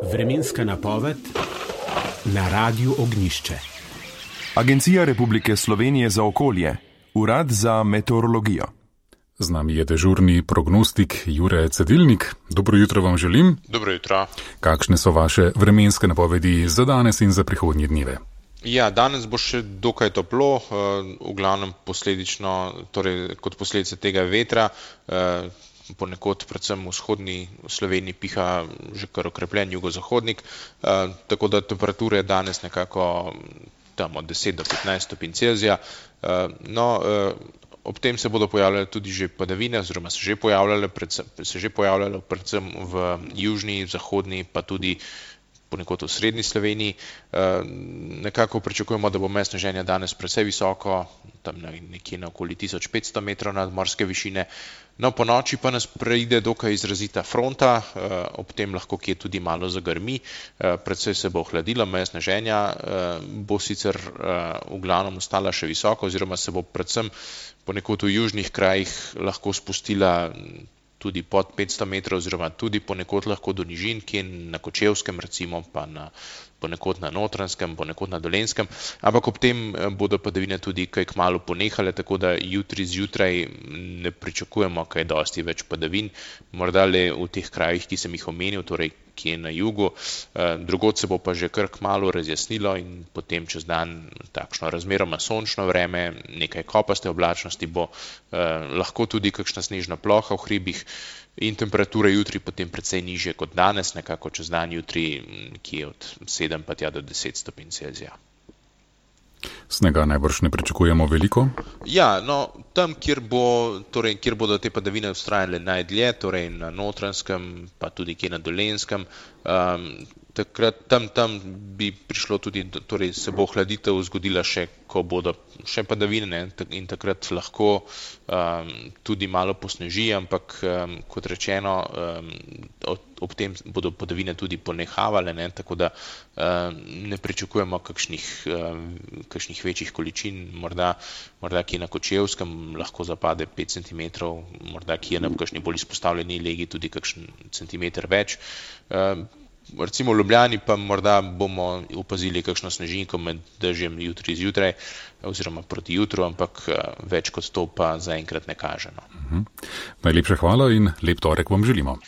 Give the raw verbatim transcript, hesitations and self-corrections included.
Vremenska napoved na Radiu Ognjišče. Agencija Republike Slovenije za okolje, Urad za meteorologijo. Z nami je dežurni prognostik Jure Cedilnik. Dobro jutro vam želim. Dobro jutro. Kakšne so vaše vremenske napovedi za danes in za prihodnje dneve? Ja, danes bo še dokaj toplo, v glavnem posledično, torej kot posledice tega vetra, ponekod predvsem v vzhodni Sloveniji piha že kar okrepljen jugozahodnik, tako da temperature danes nekako tam od deset do petnajst stopinj Celzija. No, ob tem se bodo pojavljale tudi že padavine, oziroma se že pojavljale, predvsem, se že pojavljale predvsem v južni, zahodni, pa tudi ponekod v srednji Sloveniji. Nekako pričakujemo, da bo meje sneženja danes precej visoko, tam nekje na okoli tisoč petsto metrov nadmorske višine. No, po noči pa nas preide dokaj izrazita fronta, ob tem lahko kje tudi malo zagrmi, precej se bo ohladilo, meja sneženja bo sicer v glavnem ostala še visoko, oziroma se bo predvsem ponekod v južnih krajih lahko spustila tudi pod petsto metrov, oziroma tudi ponekod lahko do nižin, kje na Kočevskem recimo, pa na, ponekod na Notranjskem, ponekod na Dolenjskem, ampak ob tem bodo padavine tudi kaj kmalu ponehale, tako da jutri zjutraj ne pričakujemo kaj dosti več padavin, morda le v teh krajih, ki sem jih omenil, torej ki je na jugu, drugod se bo pa že kar kmalu razjasnilo in potem čez dan takšno razmeroma sončno vreme, nekaj kopaste oblačnosti bo, lahko tudi kakšna snežna ploha v hribih in temperature jutri potem precej nižje kot danes, nekako čez dan jutri, ki je od sedem pa tja do deset stopinj Celzija. Snega najbrž ne pričakujemo veliko? Ja, no, tam, kjer, bo, torej, kjer bodo te padavine vztrajale najdlje, torej na Notranjskem, pa tudi kje na Dolenjskem, um, takrat tam, tam bi prišlo tudi, torej se bo ohladitev zgodila še, ko bodo še padavine, ne, in takrat lahko um, tudi malo posneži, ampak um, kot rečeno, um, ob, ob tem bodo padavine tudi ponehavale, ne, tako da um, ne pričakujemo kakšnih, um, kakšnih večjih količin, morda, morda kje na Kočevskem lahko zapade pet centimetrov, morda kje na kakšni bolj izpostavljeni legi tudi kakšen centimeter več. Um, Recimo v Ljubljani pa morda bomo opazili kakšno snežinko med dežjem jutri zjutraj oziroma proti jutru, ampak več kot to pa zaenkrat ne kaže. No. Mhm. Najlepša hvala in lep torek vam želimo.